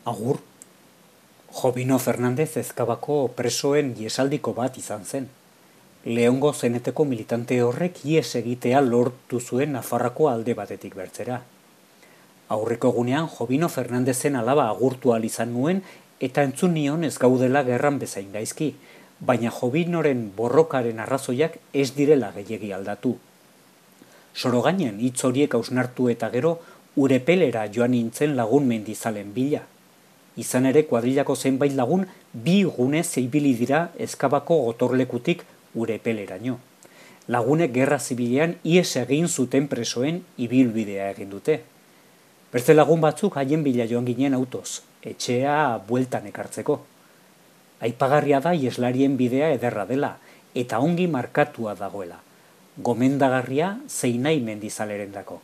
Agur, Jovino Fernandez Ezkabako presoen iesaldiko bat izan zen. Leongo zeneteko militante horrek ies egitea lortu zuen Nafarroako alde batetik bertzera. Aurreko egunean Jovino Fernandezen alaba agurtu ahal izan nuen eta entzun nion ez gaudela gerran bezain gaizki, baina Jovinoren borrokaren arrazoiak ez direla gehiegi aldatu. Sorogainen hitz horiek hausnartu eta gero Urepelera joan nintzen lagun mendizalen bila. Izan ere kuadrilako zenbait lagun bi gune zeibili dira Ezkabako gotorlekutik Urepeleraino. Lagunek gerra zibilean ies egin zuten presoen ibilbidea egin dute. Beste lagun batzuk haien bila joan ginen autoz, etxea bueltan ekartzeko. Aipagarria da ieslarien bidea ederra dela, eta ongi markatua dagoela. Gomendagarria zeinai mendizalerendako.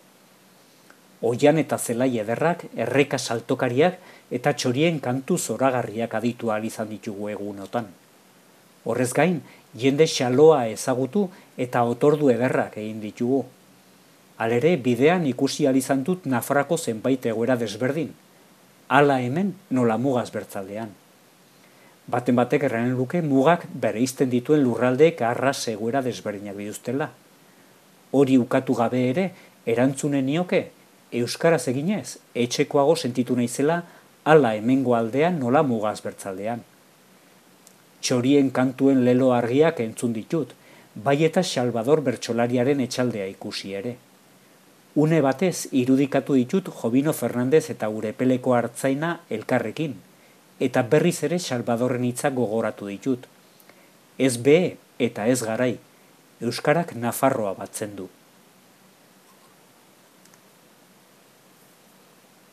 Oian eta zelai ederrak, erreka saltokariak eta txorien kantu zoragarriak aditu ahal izan ditugu egunotan. Horrez gain, jende xaloa ezagutu eta otordu ederrak egin ditugu. Halere, bidean ikusi ahal izan dut Nafarroako zenbait egoera desberdin. Hala hemen nola mugaz bertzaldean. Baten batek erranen luke mugak bereizten dituen lurraldeek arras egoera desberdinak dituztela. Hori ukatu gabe ere, erantzunen nioke, euskaraz eginez, etxekoago sentitu naizela hala hemengo aldean nola mugaz bertzaldean. Txorien kantuen lelo argiak entzun ditut, bai eta Salvador bertsolariaren etxaldea ikusi ere. Une batez irudikatu ditut Jovino Fernandez eta Urepeleko hartzaina elkarrekin, eta berriz ere Salvadorren hitzak gogoratu ditut. Ez behe eta ez garai, euskarak Nafarroa batzen du.